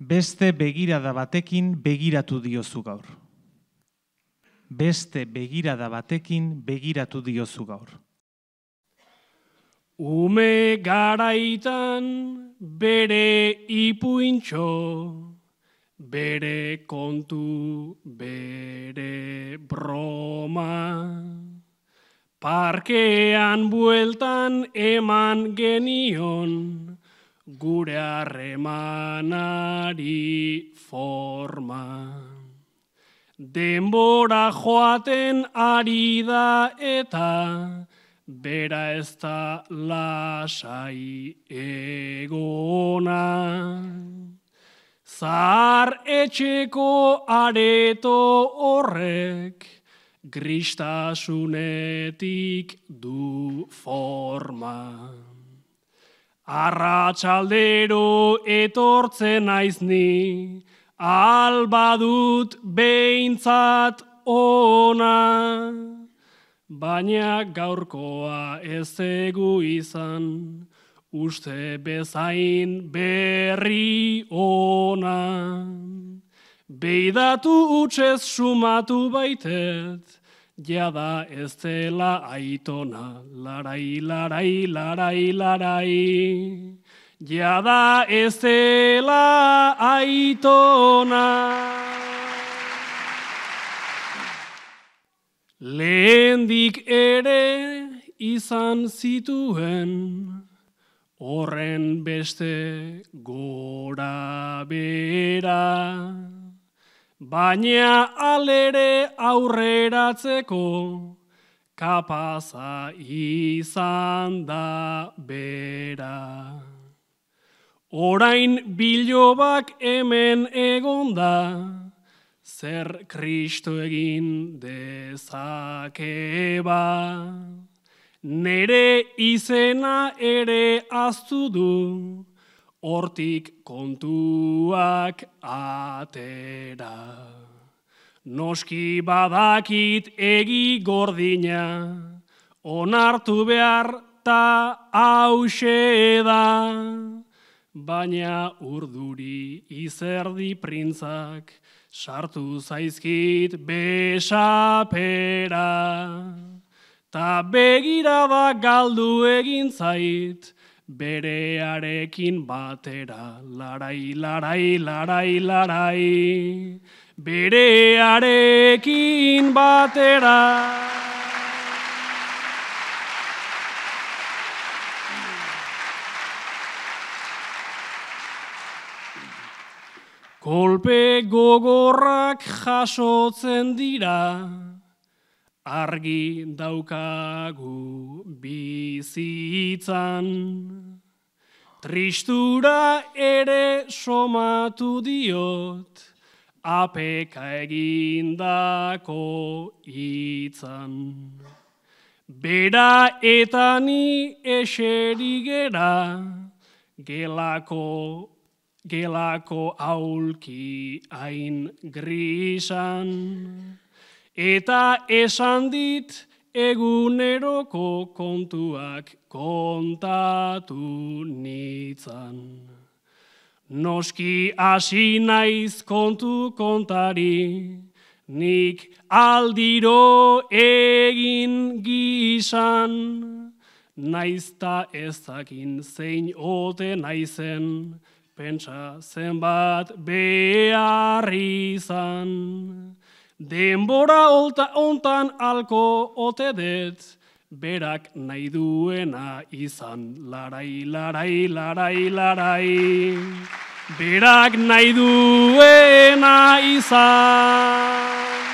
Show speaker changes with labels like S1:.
S1: Beste begirada batekin begiratu diozu gaur. Beste begirada batekin begiratu diozu gaur.
S2: Ume garaitan bere ipuintxo, bere kontu, bere broma. Parkean bueltan eman genion, gure harremanari forma. Denbora joaten ari da eta bera ez da lasai egona. Zahar etxeko areto horrek gristasunetik du forma. Arratsaldero etortzen naiz ni, albadut behintzat ona. Baina gaurkoa ez egu izan, uste bezain berri ona. Beidatu utzez sumatu baitet, jada ez dela aitona, larai, larai, larai, larai. Jada ez dela aitona. Lehendik ere izan zituen, horren beste gora bera. Baina alere aurreratzeko kapaza izan da bera. Orain bilobak hemen egonda, zer Kristo egin dezake ba. Nere izena ere ahaztu du, hortik kontuak atera. Noski badakit egi gordina, onartu behar ta hauxe da. Baina urduri izerdi printzak, sartu zaizkit besapera. Ta begirada galdu egin zait, berearekin batera. Larai, larai, larai, larai, berearekin batera. Kolpe gogorrak jasotzen dira, argi daukagu bizitzan. Tristura ere somatu diot, apeka egindako hitzan. Bera eta ni eseri gera, gelako aulki hain grisan. Eta esan dit eguneroko kontuak kontatu nitzan. Noski hasi naiz kontu kontari, nik aldiro egin gizan. Naizta ezakin zein ote naizen, pentsa zenbat behar izan. Denbora ontan alko ote det, berak nahi duena izan. Larai, larai, larai, larai, berak nahi duena izan.